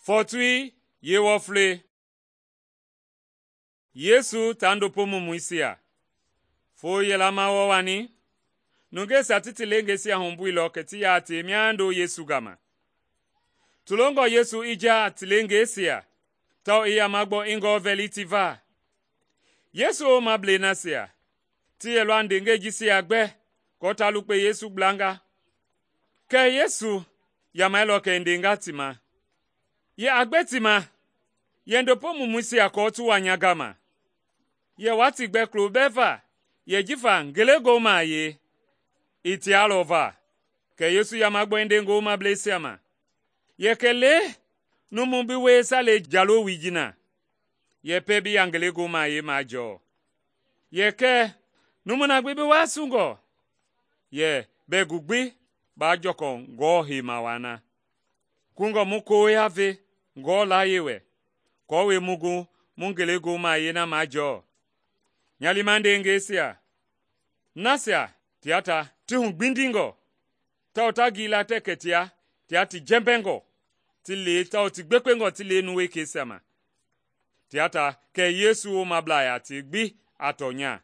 Fɔɔtui yeewɔflei. Yesu taa ndopo mumuisia. Foo yɛla ma wɔɔ-wani, nungeisia ti ti leengeisia humbuilɔ kɛ ti yaa tie miando Yesu gama. Ti longɔ Yesu i jaa a ti leengeisia tawao i yama gbɔ i ngɔɔ vɛli ti va. Yesu womablei nasia ti yɛlɔ a ndeengɛi jisia gbɛ aako ta lukpe Yesu gblanga. Kɛɛ Yesu yamailɔ kɛ i ndenga ti ma, “Yɛ a gbe ti ma, yɛ ndopo mumuisia aako ti wa nya gama. Yɛ wa ti gbɛ kulo bɛɛ va, yɛ jifa ngelegoohu a wie, ii tialɔ va.” Kɛ Yesu yama gbɔ i nde ngi womableisia ma, “Yɛ kɛlee numu bi wie salei jalowoi ji na, yɛ pɛɛ bi ya ngelegoohu a wie majɔɔ. Yɛ kɛ numu na gbi bi wasungɔ, yɛ bɛɛ gu gbi baa jɔkɔ Ngewɔ heima waa na. Kungɔ mu koya ve Ngewɔ layie wɛ, aako mu gu mu ngelegoohu a wie na majɔɔ. Nya liima ndeengɛisia, nasia tia ta ti hugbindingɔ, tawao ta gila tɛɛ kɛ tia ti jɛmbɛngɔ ti le tawao ti gbekpengɔ ti le numu wekeisia ma. Tia ta kɛ Yesu womablaa yaa tie gbi a tɔnya.”